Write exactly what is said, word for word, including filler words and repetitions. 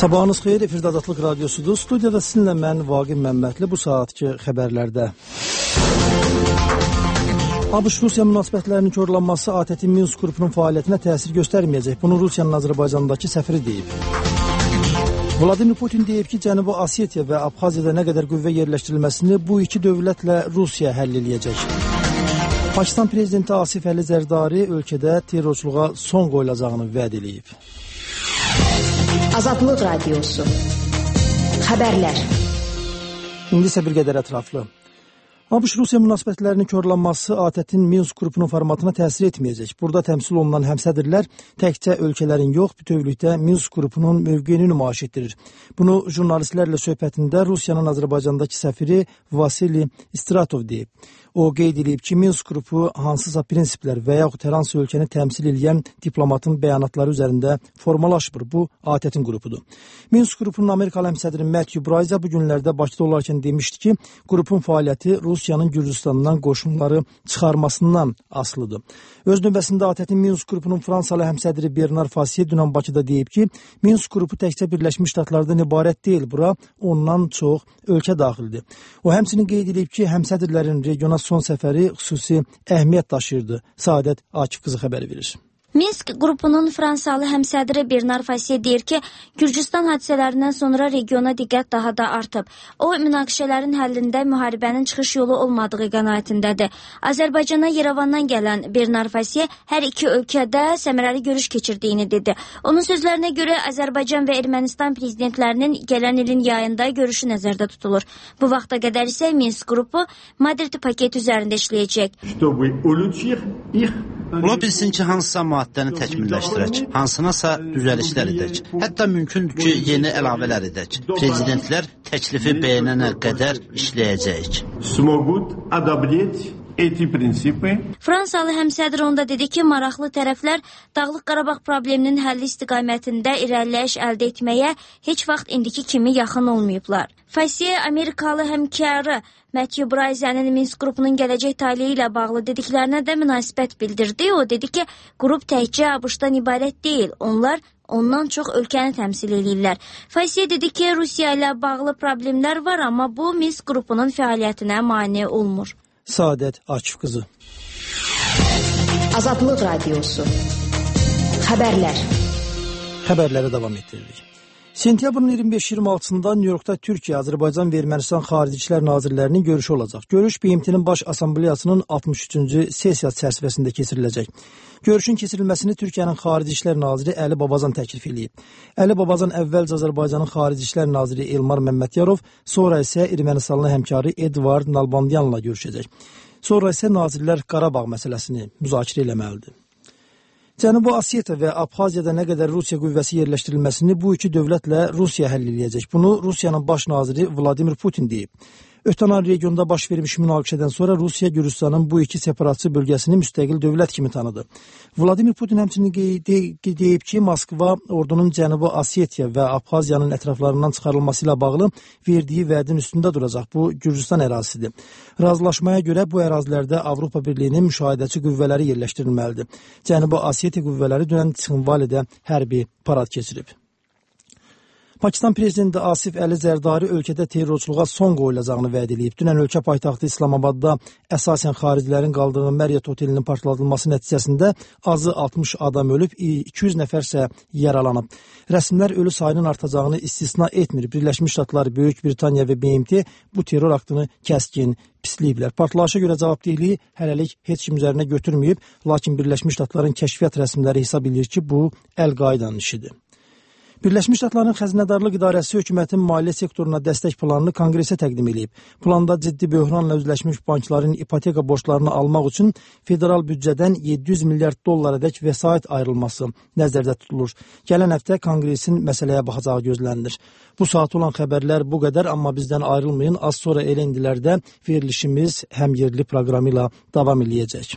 Sabahınız xeyir, efirdə Azadlıq Radyosudur. Studiyada sizinlə mən Vaqif Məmmədli bu saatki xəbərlərdə. ABŞ-Rusiya münasibətlərinin korlanması A T T Minsk qrupunun fəaliyyətinə təsir göstərməyəcək. Bunu Rusiyanın Azərbaycandakı səfiri deyib. Vladimir Putin deyib ki, Cənubi Osetiya və Abxaziyada nə qədər qüvvə yerləşdirilməsini bu iki dövlətlə Rusiya həll eləyəcək. Pakistan prezidenti Asif Əli Zərdari ölkədə terrorçuluğa son qoyulacağını vəd eləyib. Azadlıq Radyosu. Xəbərlər. İndi isə bir qədər ətraflı. ABŞ-Rusiya münasibətlərinin korlanması A T T-nin Minsk qrupunun formatına təsir etməyəcək. Burada təmsil olunan həmsədrlər təkcə ölkələrin yox, bütövlükdə Minsk qrupunun mövqeyini nümayiş etdirir. Bunu jurnalistlərlə söhbətində Rusiyanın Azərbaycandakı səfiri Vasili Istratov deyib. O qeyd edib ki, Minsk qrupu hansısa prinsiplər və yaxud hər hansı ölkəni təmsil edən diplomatın bəyanatları üzərində formalaşmır. Bu, A T T-nin qrupudur. Minsk qrupunun Amerikalı həmsədri Matthew Braiza bu günlərdə Bakıda olarkən demişdi ki, qrupun fəaliyyəti Rusiyanın Gürcüstandan qoşunları çıxarmasından asılıdır. Öz növbəsində A T T Minsk qrupunun Fransalı həmsədri Bernard Fassier dünən Bakıda deyib ki, Minsk qrupu təkcə Birləşmiş Ştatlardan ibarət deyil, bura ondan çox ölkə daxildir. O həmçinin qeyd edib ki, həmsədrlərin regiona son səfəri xüsusi əhəmiyyət daşıyırdı. Saadət Akif qızı xəbər verir. Minsk qrupunun Fransalı həmsədri Bernard Fassier deyir ki, Gürcüstan hadisələrindən sonra regiona diqqət daha da artıb. O, münaqişələrin həllində müharibənin çıxış yolu olmadığı qənaətindədir. Azərbaycana Yerevandan gələn Bernard Fassier hər iki ölkədə səmərəli görüş keçirdiyini dedi. Onun sözlərinə görə Azərbaycan və Ermənistan prezidentlərinin gələn ilin yayında görüşü nəzərdə tutulur. Bu vaxta qədər isə Minsk qrupu Madrid paketi üzərində işləyəcək. Ola bilsin ki, hansısa maddəni təkmilləşdirək, hansınasa düzəlişlər edək. Hətta mümkündür ki, yeni əlavələr edək. Prezidentlər təklifi bəyənənə qədər işləyəcəyik. Fransalı həmsədr onda dedi ki, maraqlı tərəflər Dağlıq Qarabağ probleminin həlli istiqamətində irəliləyiş əldə etməyə heç vaxt indiki kimi yaxın olmayıblar. Fassier Amerikalı həmkarı Matthew Braiza'nın Minsk qrupunun gələcək taleyi ilə bağlı dediklərinə də münasibət bildirdi. O dedi ki, qrup təkcə ABŞ-dan ibarət deyil, onlar ondan çox ölkəni təmsil edirlər. Fassier dedi ki, Rusiya ilə bağlı problemlər var, amma bu Minsk qrupunun fəaliyyətinə mane olmur. Saadət Akif qızı. Azadlıq Radyosu. Xəbərlər. Xəbərlərə davam etdiririk. Sentyabrın iyirmi beş iyirmi altısında Nyu-Yorkda Türkiyə, Azərbaycan və Ermənistan Xarici İşlər Nazirlərinin görüşü olacaq. Görüş B M T-nin Baş Assambleyasının altmış üçüncü sessiyası çərçivəsində keçiriləcək. Görüşün keçirilməsini Türkiyənin Xarici İşlər Naziri Əli Babazan təklif edib. Əli Babazan əvvəlcə Azərbaycanın Xarici İşlər Naziri Elmar Məmmədyarov, sonra isə Ermənistanlı həmkarı Edvard Nalbandyanla görüşəcək. Sonra isə nazirlər Qarabağ məsələsini müzakirə eləməlidir. Cənubi Osetiya və Abxaziyada nə qədər Rusiya qüvvəsi yerləşdirilməsini bu iki dövlətlə Rusiya həll eləyəcək. Bunu Rusiyanın baş naziri Vladimir Putin deyib. Ötən ay regionda baş vermiş münaqişədən sonra Rusiya Gürcüstanın bu iki separatçı bölgəsini müstəqil dövlət kimi tanıdı. Vladimir Putin həmçinin deyib ki, Moskva ordunun Cənubi Osetiya və Abxaziyanın ətraflarından çıxarılması ilə bağlı verdiyi vədin üstündə duracaq. Bu Gürcüstan ərazisidir. Razılaşmaya görə bu ərazilərdə Avropa Birliyinin müşahidəçi qüvvələri yerləşdirilməlidir. Cənubi Osetiya qüvvələri dünən Tsinvalidə hərbi parad keçirib. Pakistan prezidenti Asif Əli Zərdari ölkədə terrorçuluğa son qoyulacağını vəd edib. Dünən ölkə paytaxtı İslamabadda əsasən xaricilərin qaldığı Marriott otelinin partladılması nəticəsində azı altmış adam ölüb, iki yüz nəfərsə yaralanıb. Rəsmilər ölü sayının artacağını istisna etmir. Birləşmiş Ştatlar, Böyük Britaniya və B M T bu terror aktını kəskin pisləyiblər. Partlayışa görə cavabdehliyi hələlik heç kim üzərinə götürməyib, lakin Birləşmiş Ştatların kəşfiyyat rəsmləri hesab edir ki, bu Əl-Qaidanın işidir. Birləşmiş Ştatların Xəzinədarlıq İdarəsi hökumətin maliyyə sektoruna dəstək planını Konqresə təqdim edib. Planda ciddi böhranla üzləşmiş bankların ipoteka borclarını almaq üçün federal büdcədən yeddi yüz milyard dollarədək vəsait ayrılması nəzərdə tutulur. Gələn həftə Konqresin məsələyə baxacağı gözlənilir. Bu saat olan xəbərlər bu qədər, amma bizdən ayrılmayın. Az sonra elə indilərdə verilişimiz həm yerli proqramı ilə davam eləyəcək.